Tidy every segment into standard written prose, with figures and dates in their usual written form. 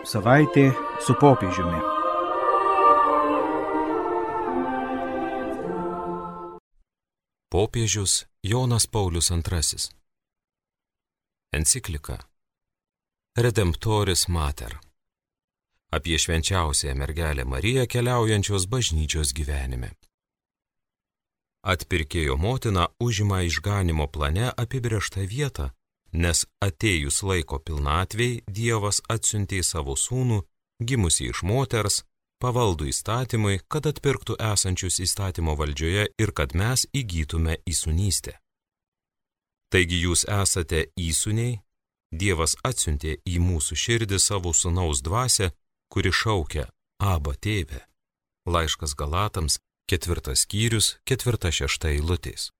Savaitė su popiežiumi. Popiežius Jonas Paulius II. Enciklika Redemptoris Mater. Apie švenčiausiąją mergelę Mariją keliaujančios bažnyčios gyvenime. Atpirkėjo motina užima išganimo plane apibrėžtą vietą, nes atėjus laiko pilnatvei Dievas atsiuntė savo sūnų, gimusį iš moters, pavaldų įstatymui, kad atpirktų esančius įstatymo valdžioje ir kad mes įgytume įsūnystę. Taigi jūs esate įsūniai, Dievas atsiuntė į mūsų širdį savo sūnaus dvasią, kuri šaukia Aba tėve. Laiškas Galatams, 4 skyrius, 4-6 eilutės.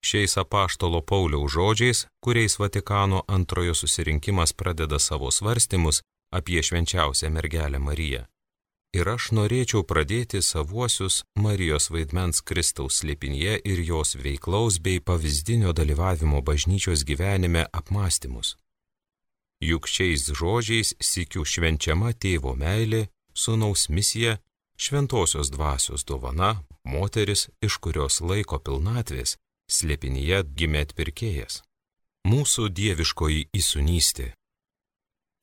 Šiais apaštalo Pauliaus žodžiais, kuriais Vatikano antrojo susirinkimas pradeda savo svarstymus apie švenčiausią mergelę Mariją. Ir aš norėčiau pradėti savuosius Marijos vaidmens Kristaus slėpinyje ir jos veiklaus bei pavyzdinio dalyvavimo bažnyčios gyvenime apmąstymus. Juk šiais žodžiais sykiu švenčiama tėvo meilė, sūnaus misija, šventosios dvasios dovana, moteris, iš kurios laiko pilnatvės, slėpinyje gimė atpirkėjas. Mūsų dieviškoji įsūnystė.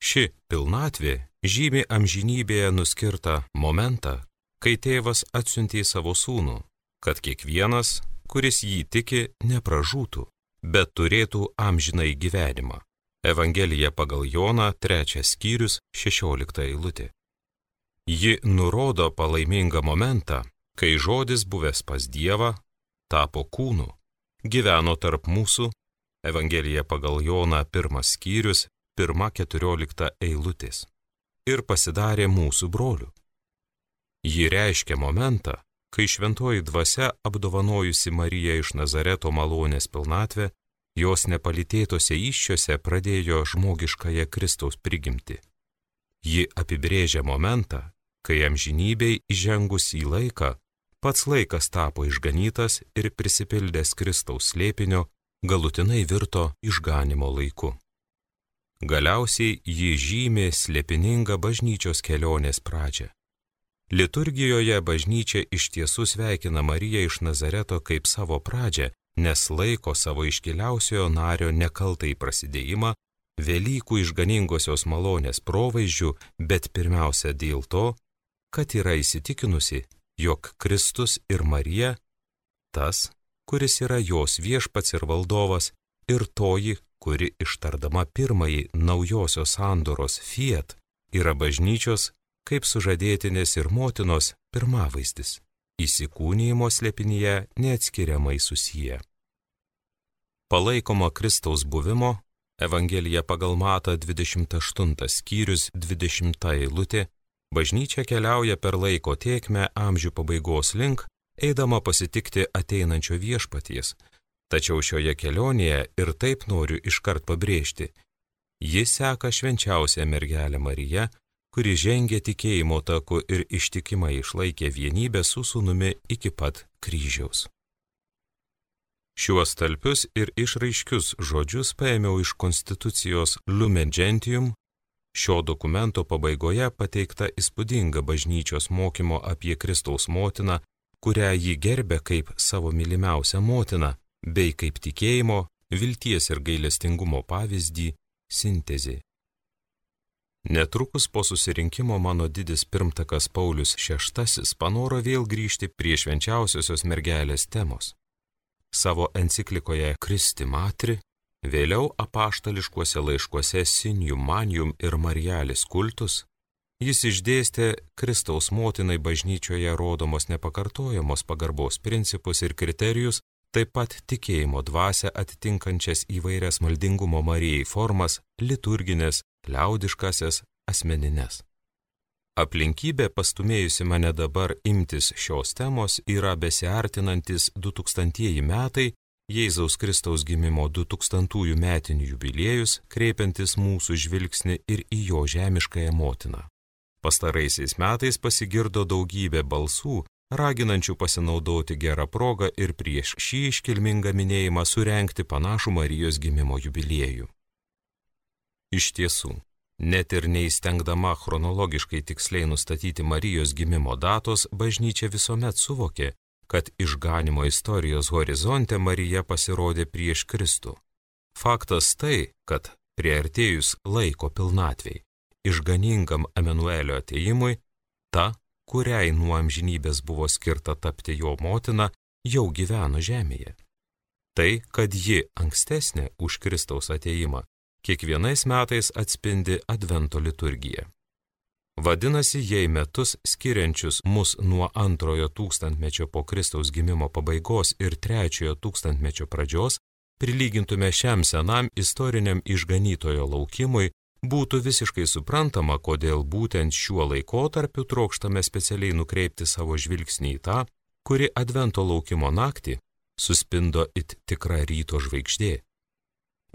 Ši pilnatvė žymi amžinybėje nuskirtą momentą, kai tėvas atsiuntė savo sūnų, kad kiekvienas, kuris jį tiki, nepražūtų, bet turėtų amžinai gyvenimą. Evangelija pagal Joną, 3 skyrius, 16 eilutė. Ji nurodo palaimingą momentą, kai žodis buvęs pas Dievą tapo kūnu, gyveno tarp mūsų, Evangelija pagal Joną, 1 skyrius, 1-14 eilutės, ir pasidarė mūsų broliu. Ji reiškia momentą, kai šventoji dvasia apdovanojusi Mariją iš Nazareto malonės pilnatvę, jos nepalytėtose įsčiose pradėjo žmogiškąją Kristaus prigimtį. Ji apibrėžia momentą, kai amžinybei įžengus į laiką, pats laikas tapo išganytas ir prisipildęs Kristaus slėpinio, galutinai virto išganimo laiku. Galiausiai ji žymi slėpiningą bažnyčios kelionės pradžią. Liturgijoje bažnyčia iš tiesų sveikina Mariją iš Nazareto kaip savo pradžią, nes laiko savo iškiliausiojo nario nekaltai prasidėjimą, Velykų išganingosios malonės provaizdžių, bet pirmiausia dėl to, kad yra įsitikinusi, jog Kristus ir Marija, tas, kuris yra jos viešpats ir valdovas, ir toji, kuri ištardama pirmąjį naujosios sandoros fiat, yra bažnyčios kaip sužadėtinės ir motinos pirmavaizdis, įsikūnijimo slėpinyje neatskiriamai susiję. Palaikoma Kristaus buvimo, Evangelija pagal Matą 28 skyrius 20 eilutė, bažnyčia keliauja per laiko tėkmę amžių pabaigos link, eidama pasitikti ateinančio viešpaties. Tačiau šioje kelionėje ir taip noriu iškart pabrėžti, ji seka švenčiausią mergelę Mariją, kuri žengė tikėjimo taku ir ištikimai išlaikė vienybę su sūnumi iki pat kryžiaus. Šiuos talpius ir išraiškius žodžius paėmiau iš konstitucijos Lumen Gentium. Šio dokumento pabaigoje pateikta įspūdinga bažnyčios mokymo apie Kristaus motiną, kurią ji gerbė kaip savo mylimiausią motiną, bei kaip tikėjimo, vilties ir gailestingumo pavyzdį sintezė. Netrukus po susirinkimo mano didis pirmtakas Paulius VI panoro vėl grįžti prie švenčiausiosios mergelės temos. Savo enciklikoje Christi Matri, vėliau apaštališkuose laiškuose Sinium Manium ir Marialis kultus, jis išdėstė Kristaus motinai bažnyčioje rodomos nepakartojamos pagarbos principus ir kriterijus, taip pat tikėjimo dvasią atitinkančias įvairias maldingumo Marijai formas, liturginės, liaudiškasias, asmenines. Aplinkybė pastumėjusi mane dabar imtis šios temos yra besiartinantis 2000 metai, Jėzaus Kristaus gimimo 2000 metinių jubiliejus, kreipiantis mūsų žvilgsnį ir į jo žemiškąją motiną. Pastaraisiais metais pasigirdo daugybė balsų, raginančių pasinaudoti gerą progą ir prieš šį iškilmingą minėjimą surengti panašų Marijos gimimo jubiliejų. Iš tiesų, Net ir neįstengdama chronologiškai tiksliai nustatyti Marijos gimimo datos, bažnyčia visuomet suvokė, kad išganimo istorijos horizonte Marija pasirodė prieš Kristų. Faktas tai, kad priartėjus laiko pilnatvei, išganingam Emanuelio atėjimui, ta, kuriai nuo amžinybės buvo skirta tapti jo motina, jau gyveno žemėje. Tai, kad ji ankstesnė už Kristaus atėjimą, kiekvienais metais atspindi Advento liturgiją. Vadinasi, jei metus skiriančius mus nuo 2 tūkstantmečio po Kristaus gimimo pabaigos ir 3 tūkstantmečio pradžios, prilygintume šiam senam istoriniam išganytojo laukimui, būtų visiškai suprantama, kodėl būtent šiuo laikotarpiu trokštame specialiai nukreipti savo žvilgsnį į tą, kuri Advento laukimo naktį suspindo it tikra ryto žvaigždė.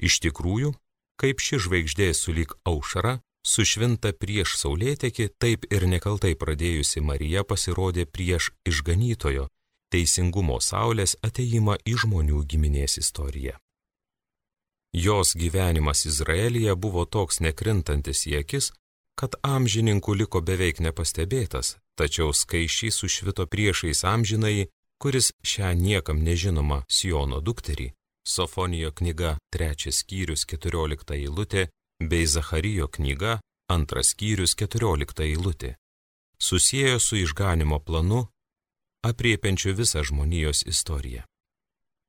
Iš tikrųjų, kaip ši žvaigždė sulyg aušra, sušvinta prieš saulėtekį, taip ir nekaltai pradėjusi Marija pasirodė prieš išganytojo, teisingumo saulės atėjimą į žmonių giminės istoriją. Jos gyvenimas Izraelyje buvo toks nekrintantis į akis, kad amžininkų liko beveik nepastebėtas, tačiau skaisčiai sušvito priešais amžinąjį, kuris šią niekam nežinomą Siono dukterį, Sofonijo knyga 3 skyrius 14 eilutė bei Zacharijo knyga 2 skyrius 14 eilutė, susiejo su išganimo planu, apriepiančiu visą žmonijos istoriją.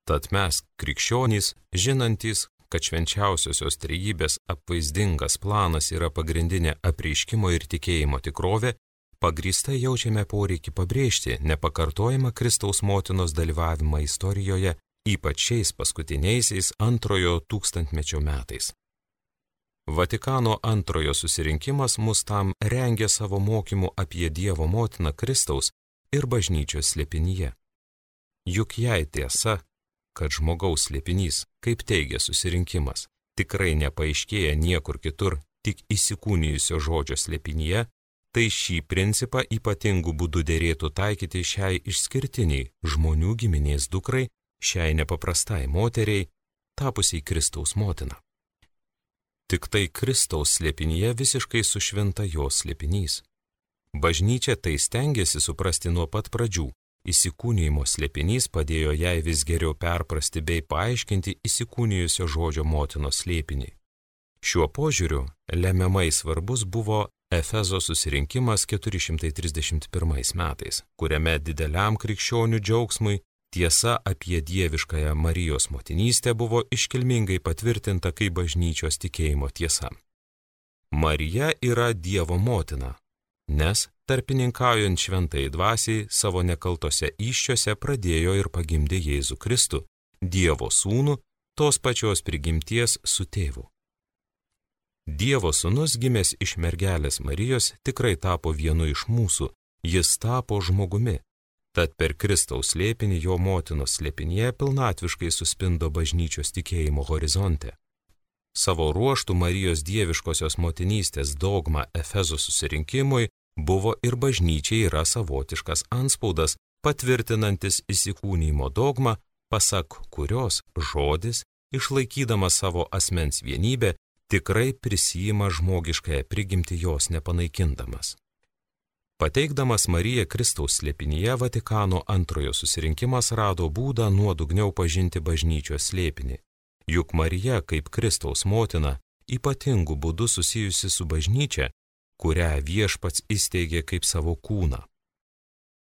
Tad mes, krikščionys, žinantys, kad švenčiausiosios trejybės apvaizdingas planas yra pagrindinė apreiškimo ir tikėjimo tikrovė, pagrįstai jaučiame poreikį pabrėžti nepakartojamą Kristaus motinos dalyvavimą istorijoje, ypač šiais paskutiniaisiais 2 tūkstantmečio metais. Vatikano 2 susirinkimas mus tam rengė savo mokymu apie Dievo motiną Kristaus ir bažnyčios slėpinyje. Juk jei tiesa, kad žmogaus slėpinys, kaip teigia susirinkimas, tikrai nepaaiškėja niekur kitur, tik įsikūnijusio žodžio slėpinyje, tai šį principą ypatingų būdų derėtų taikyti šiai išskirtiniai žmonių giminės dukrai, šiai nepaprastai moteriai, tapusiai Kristaus motina. Tik tai Kristaus slėpinyje visiškai sušvinta jos slėpinys. Bažnyčia tai stengiasi suprasti nuo pat pradžių. Įsikūnijimo slėpinys padėjo jai vis geriau perprasti bei paaiškinti įsikūnijusio žodžio motinos slėpinį. Šiuo požiūriu lemiamai svarbus buvo Efezo susirinkimas 431 metais, kuriame dideliam krikščionių džiaugsmui tiesa apie dieviškąją Marijos motinystę buvo iškilmingai patvirtinta kaip bažnyčios tikėjimo tiesa. Marija yra Dievo motina, nes tarpininkaujant šventai dvasiai savo nekaltose įsčiose pradėjo ir pagimdė Jėzų Kristų, Dievo sūnų, tos pačios prigimties su tėvu. Dievo sūnus gimęs iš mergelės Marijos tikrai tapo vienu iš mūsų, jis tapo žmogumi. Tad per Kristaus slėpinį jo motinos slėpinyje pilnatviškai suspindo bažnyčios tikėjimo horizonte. Savo ruoštų Marijos dieviškosios motinystės dogma Efezo susirinkimui buvo ir bažnyčiai yra savotiškas antspaudas, patvirtinantis įsikūnijimo dogmą, pasak kurios žodis, išlaikydamas savo asmens vienybę, tikrai prisijima žmogiškąją prigimtį jos nepanaikindamas. Pateikdamas Mariją Kristaus slėpinyje, Vatikano 2 susirinkimas rado būdą nuodugniau pažinti bažnyčios slėpinį. Juk Marija, kaip Kristaus motina, ypatingų būdų susijusi su bažnyčia, kurią viešpats įsteigė kaip savo kūną.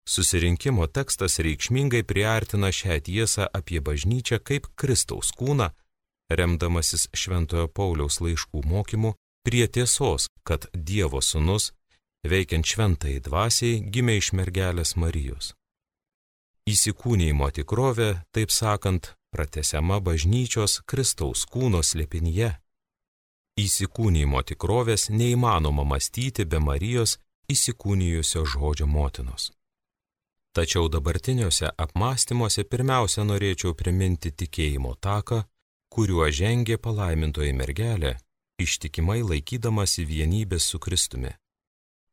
Susirinkimo tekstas reikšmingai priartina šią tiesą apie bažnyčią kaip Kristaus kūną, remdamasis Šventojo Pauliaus laiškų mokymu prie tiesos, kad Dievo sūnus, veikiant šventai dvasiai, gimė iš mergelės Marijos. Įsikūnijimo tikrovė, taip sakant, pratęsiama bažnyčios Kristaus kūno slėpinyje. Įsikūnijimo tikrovės neįmanoma mąstyti be Marijos įsikūnijusio žodžio motinos. Tačiau dabartiniuose apmąstymuose pirmiausia norėčiau priminti tikėjimo taką, kuriuo žengė palaimintoji mergelė, ištikimai laikydamasi vienybės su Kristumi.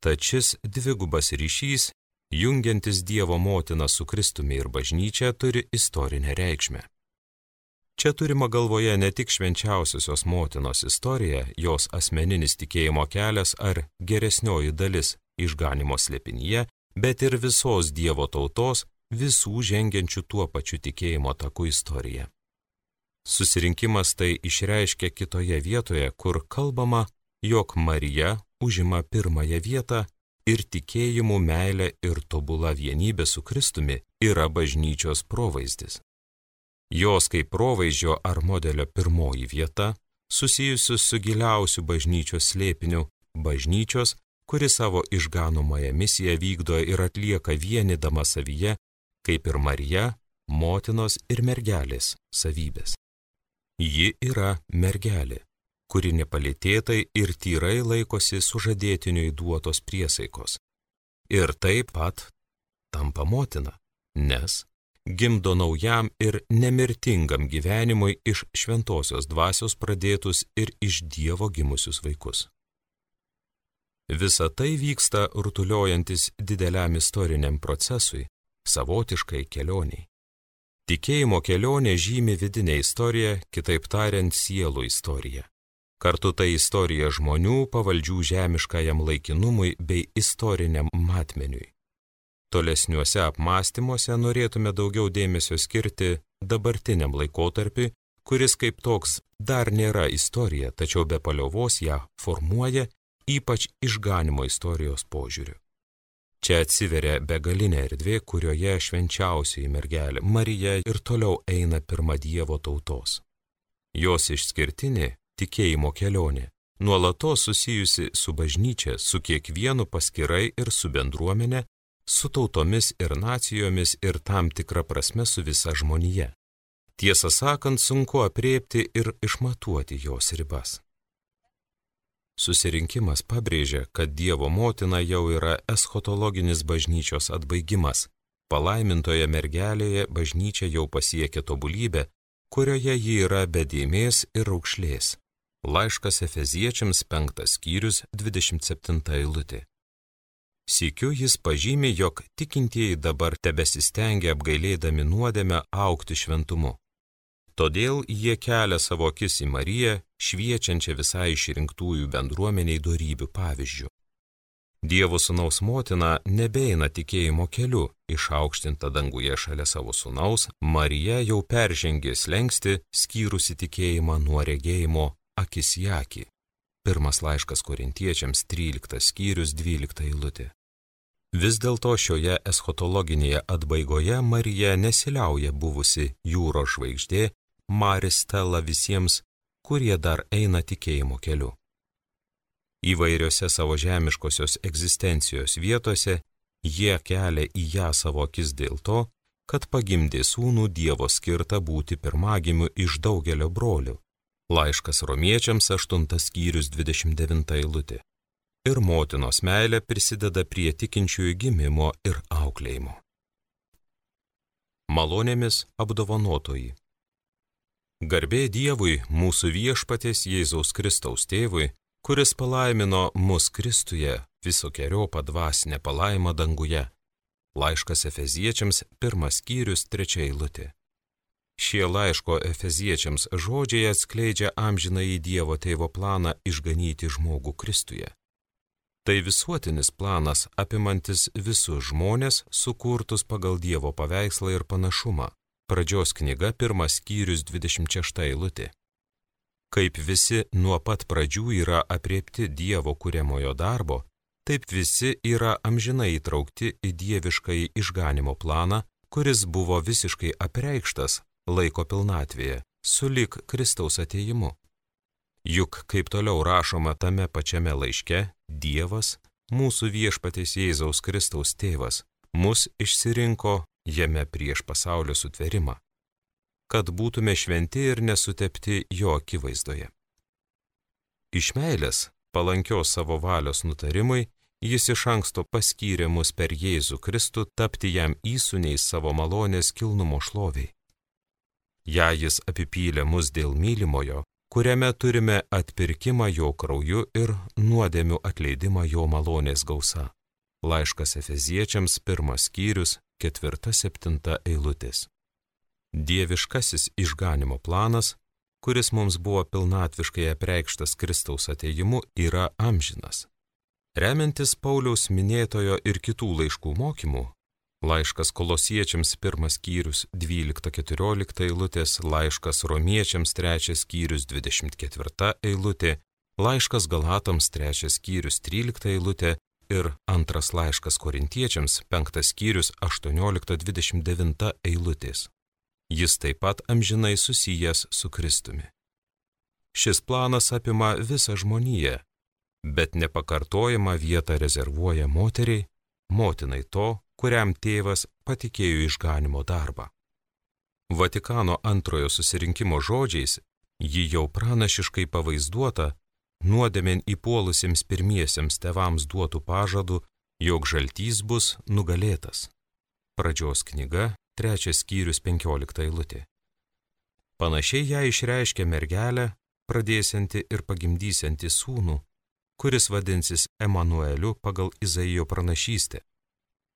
Tad šis dvigubas ryšys, jungiantis Dievo motiną su Kristumi ir bažnyčia, turi istorinę reikšmę. Čia turima galvoje ne tik švenčiausiosios motinos istorija, jos asmeninis tikėjimo kelias ar geresnioji dalis išganimo slėpinyje, bet ir visos Dievo tautos, visų žengiančių tuo pačiu tikėjimo taku istorija. Susirinkimas tai išreiškia kitoje vietoje, kur kalbama, jog Marija užima pirmąją vietą ir tikėjimu, meilė ir tobula vienybė su Kristumi yra bažnyčios provaizdis. Jos kaip provaizdžio ar modelio pirmoji vieta, susijusi su giliausiu bažnyčios slėpiniu, bažnyčios, kuri savo išganomąją misiją vykdo ir atlieka vienydama savyje, kaip ir Marija, motinos ir mergelės savybės. Ji yra mergelė, kuri nepalėtėtai ir tyrai laikosi sužadėtiniui duotos priesaikos. Ir taip pat tampa motina, nes gimdo naujam ir nemirtingam gyvenimui iš šventosios dvasios pradėtus ir iš Dievo gimusius vaikus. Visa tai vyksta rutuliojantis dideliam istoriniam procesui, savotiškai kelioniai. Tikėjimo kelionė žymi vidinę istoriją, kitaip tariant, sielų istoriją. Kartu tai istorija žmonių pavaldžių žemiškajam laikinumui bei istoriniam matmeniui. Tolesniuose apmąstymuose norėtume daugiau dėmesio skirti dabartiniam laikotarpiui, kuris kaip toks dar nėra istorija, tačiau be paliovos ją formuoja, ypač išganimo istorijos požiūriu. Čia atsiveria begalinė erdvė, kurioje švenčiausioji mergelė Marija ir toliau eina pirma Dievo tautos. Jos išskirtinė tikėjimo kelionė, nuolatos susijusi su bažnyčia, su kiekvienu paskirai ir su bendruomenė, su tautomis ir nacijomis ir tam tikra prasme su visa žmonija. Tiesą sakant, sunku aprėpti ir išmatuoti jos ribas. Susirinkimas pabrėžia, kad Dievo motina jau yra eschatologinis bažnyčios atbaigimas. Palaimintoje mergelėje bažnyčia jau pasiekė tobulybę, kurioje ji yra be dėmės ir raukšlės. Laiškas Efeziečiams 5 skyrius 27 eilutė. Sykiu jis pažymi, jog tikintieji dabar tebesistengia apgailėdami nuodėmę augti šventumu. Todėl jie kelia savo akis į Mariją, šviečiančią visai išrinktųjų bendruomeniai dorybių pavyzdžių. Dievo sūnaus motina nebeina tikėjimo keliu, išaukštinta danguje šalia savo sūnaus, Marija jau peržengė slenkstį, skyrusi tikėjimą nuo regėjimo akis į akį. Pirmas laiškas Korintiečiams 13 skyrius 12 eilutė. Vis dėlto šioje eschatologinėje atbaigoje Marija nesiliauja buvusi jūros žvaigždė, Maris Stella visiems, kurie dar eina tikėjimo keliu. Įvairiose savo žemiškosios egzistencijos vietose jie kelia į ją savo akis dėl to, kad pagimdė sūnų Dievo skirtą būti pirmagimiu iš daugelio brolių. Laiškas Romiečiams 8 skyrius 29 eilutė. Ir motinos meilė prisideda prie tikinčiųjų gimimo ir auklėjimo. Malonėmis apdovanotoji. Garbė Dievui, mūsų viešpaties Jėzaus Kristaus tėvui, kuris palaimino mus Kristuje visokeriopą dvasinę palaimą danguje. Laiškas Efeziečiams 1 skyrius 3 eilutė. Šie laiško Efeziečiams žodžiai atskleidžia amžinąjį Dievo tėvo planą išganyti žmogų Kristuje. Tai visuotinis planas apimantis visus žmonės, sukurtus pagal Dievo paveikslą ir panašumą. Pradžios knyga 1 skyrius 26 eilutė. Kaip visi nuo pat pradžių yra apriepti Dievo kuriamojo darbo, taip visi yra amžinai įtraukti į dieviškąjį išganimo planą, kuris buvo visiškai apreikštas laiko pilnatvėje, sulig Kristaus atėjimu. Juk, kaip toliau rašoma tame pačiame laiške, Dievas, mūsų viešpaties Jėzaus Kristaus tėvas, mus išsirinko jame prieš pasaulio sutvėrimą, kad būtume šventi ir nesutepti jo akivaizdoje. Iš meilės, palankios savo valios nutarimui, jis iš anksto paskyrė mus per Jėzų Kristų tapti jam įsūniais savo malonės kilnumo šloviai. Jei jis apipylė mus dėl mylimojo, kuriame turime atpirkimą jo krauju ir nuodėmių atleidimą jo malonės gausa. Laiškas Efeziečiams 1 skyrius 4-7 eilutės. Dieviškasis išganimo planas, kuris mums buvo pilnatviškai apreikštas Kristaus atėjimu, yra amžinas. Remiantis Pauliaus minėtojo ir kitų laiškų mokymų, laiškas Kolosiečiams 1 skyrius 12-14 eilutės, laiškas Romiečiams 3 skyrius 24 eilutė, laiškas Galatams 3 skyrius 13 eilutė ir 2 laiškas Korintiečiams 5 skyrius 18-29 eilutės. Jis taip pat amžinai susijęs su Kristumi. Šis planas apima visą žmoniją, bet nepakartojamą vietą rezervuoja moteriai, motinai to, kuriam tėvas patikėjo išganimo darbą. Vatikano antrojo susirinkimo žodžiais ji jau pranašiškai pavaizduota nuodėmėn įpuolusiems pirmiesiems tėvams duotų pažadų, jog žaltys bus nugalėtas. Pradžios knyga, 3 skyrius 15 eilutė. Panašiai ją išreiškia mergelė, pradėsianti ir pagimdysianti sūnų, kuris vadinsis Emanueliu pagal Izaijo pranašystę.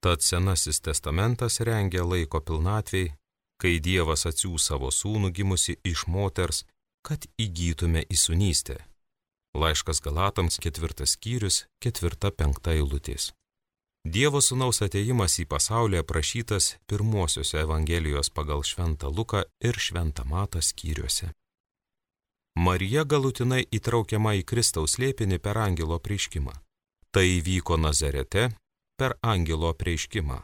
Tad Senasis testamentas rengia laiko pilnatvei, kai Dievas atsiųs savo sūnų gimusi iš moters, kad įgytume įsūnystę. Laiškas Galatams 4 skyrius 4-5 eilutės. Dievo sūnaus atėjimas į pasaulį aprašytas pirmosiuose Evangelijos pagal Šventą Luką ir Šventą Matą skyriuose. Marija galutinai įtraukiama į Kristaus slėpinį per angelo apreiškimą. Tai įvyko Nazarete per angelo apreiškimą.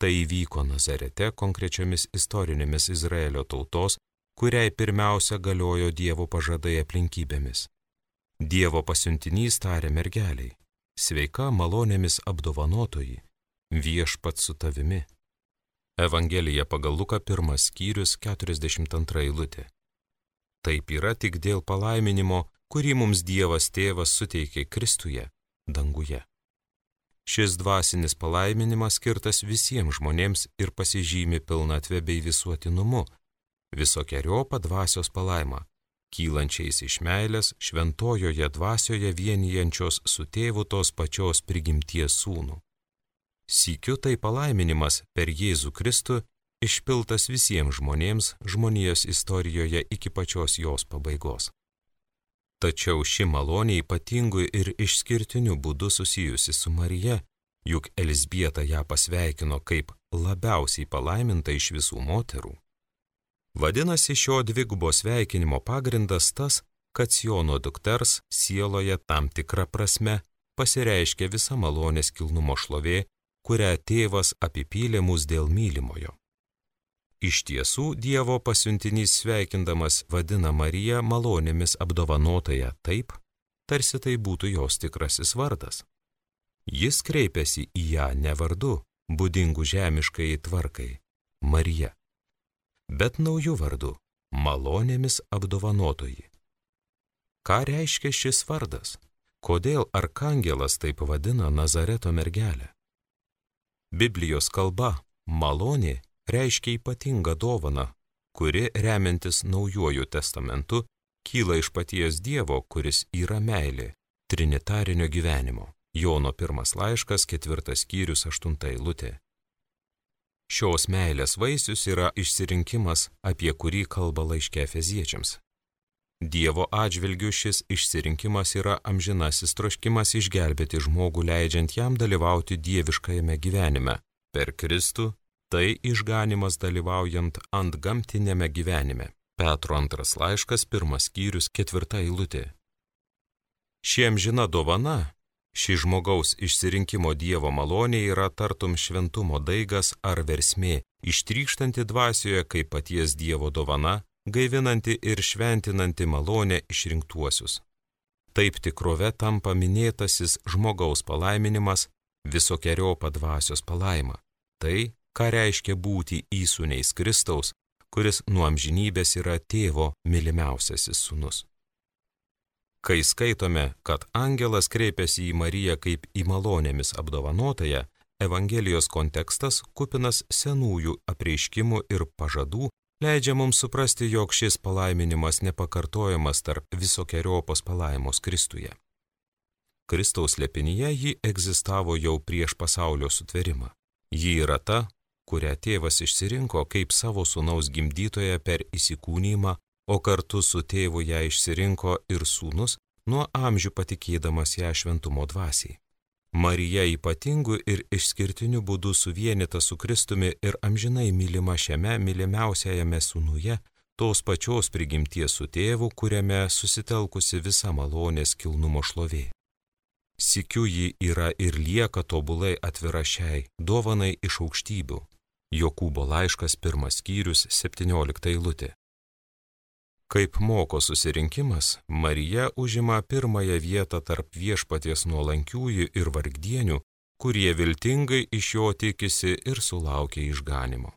Tai įvyko Nazarete konkrečiomis istorinėmis Izraelio tautos, kuriai pirmiausia galiojo Dievo pažadai aplinkybėmis. Dievo pasiuntinys tarė mergeliai: sveika malonėmis apdovanotoji, viešpats su tavimi. Evangelija pagal Luką 1 skyrius 42 eilutė. Taip yra tik dėl palaiminimo, kurį mums Dievas Tėvas suteikė Kristuje, danguje. Šis dvasinis palaiminimas skirtas visiems žmonėms ir pasižymi pilnatvė bei visuotinumu, visokeriopą dvasios palaimą, kylančiais iš meilės šventojoje dvasioje vienijančios su tėvu tos pačios prigimties sūnų. Sykiu tai palaiminimas per Jėzų Kristų išpiltas visiems žmonėms žmonijos istorijoje iki pačios jos pabaigos. Tačiau ši malonė ypatingu ir išskirtiniu būdu susijusi su Marija, juk Elzbieta ją pasveikino kaip labiausiai palaiminta iš visų moterų. Vadinasi, šio dvigubo sveikinimo pagrindas tas, kad Siono dukters sieloje tam tikra prasme pasireiškia visa malonės kilnumo šlovė, kurią tėvas apipylė mus dėl mylimojo. Iš tiesų, Dievo pasiuntinys sveikindamas vadina Mariją malonėmis apdovanotąją taip, tarsi tai būtų jos tikrasis vardas. Jis kreipiasi į ją ne vardu, būdingu žemiškai tvarkai, Marija, bet naujų vardu, malonėmis apdovanotoji. Ką reiškia šis vardas? Kodėl arkangelas taip vadina Nazareto mergelę? Biblijos kalba malonė reiškia ypatingą dovaną, kuri, remiantis Naujuoju testamentu, kyla iš paties Dievo, kuris yra meilė, trinitarinio gyvenimo. Jono 1 laiškas, 4 skyrius, 8 eilutė. Šios meilės vaisius yra išsirinkimas, apie kurį kalba laiške Efeziečiams. Dievo atžvilgiu šis išsirinkimas yra amžinasis troškimas išgelbėti žmogų, leidžiant jam dalyvauti dieviškajame gyvenime. Per Kristų tai išganimas dalyvaujant antgamtinėme gyvenime. Petro 2 laiškas, 1 skyrius, 4 eilutė. Ši amžina dovana, ši žmogaus išsirinkimo Dievo malonė yra tartum šventumo daigas ar versmė, ištrykštanti dvasioje kaip paties Dievo dovana, gaivinanti ir šventinanti malonę išrinktuosius. Taip tikrove tampa minėtasis žmogaus palaiminimas, visokeriopą dvasios palaima. Tai, ką reiškia būti įsūniais Kristaus, kuris nuo amžinybės yra tėvo mylimiausiasis sūnus. Kai skaitome, kad angelas kreipiasi į Mariją kaip į malonėmis apdovanotąją, Evangelijos kontekstas kupinas senųjų apreiškimų ir pažadų leidžia mums suprasti, jog šis palaiminimas nepakartojamas tarp visokeriopos palaimos Kristuje. Kristaus slėpinyje ji egzistavo jau prieš pasaulio sutvėrimą. Ji yra ta, kurią tėvas išsirinko kaip savo sūnaus gimdytoją per įsikūnijimą, o kartu su tėvu ją išsirinko ir sūnus, nuo amžių patikėdamas ją šventumo dvasiai. Marija ypatingu ir išskirtiniu būdu suvienyta su Kristumi ir amžinai mylima šiame mylimiausiajame sūnuje, tos pačios prigimties su tėvu, kuriame susitelkusi visa malonės kilnumo šlovė. Sykiu ji yra ir lieka tobulai atvira šiai dovanai iš aukštybių. Jokūbo laiškas 1 skyrius 17 eilutė. Kaip moko susirinkimas, Marija užima pirmąją vietą tarp viešpaties nuolankiųjų ir vargdienių, kurie viltingai iš jo tikisi ir sulaukia išganymo.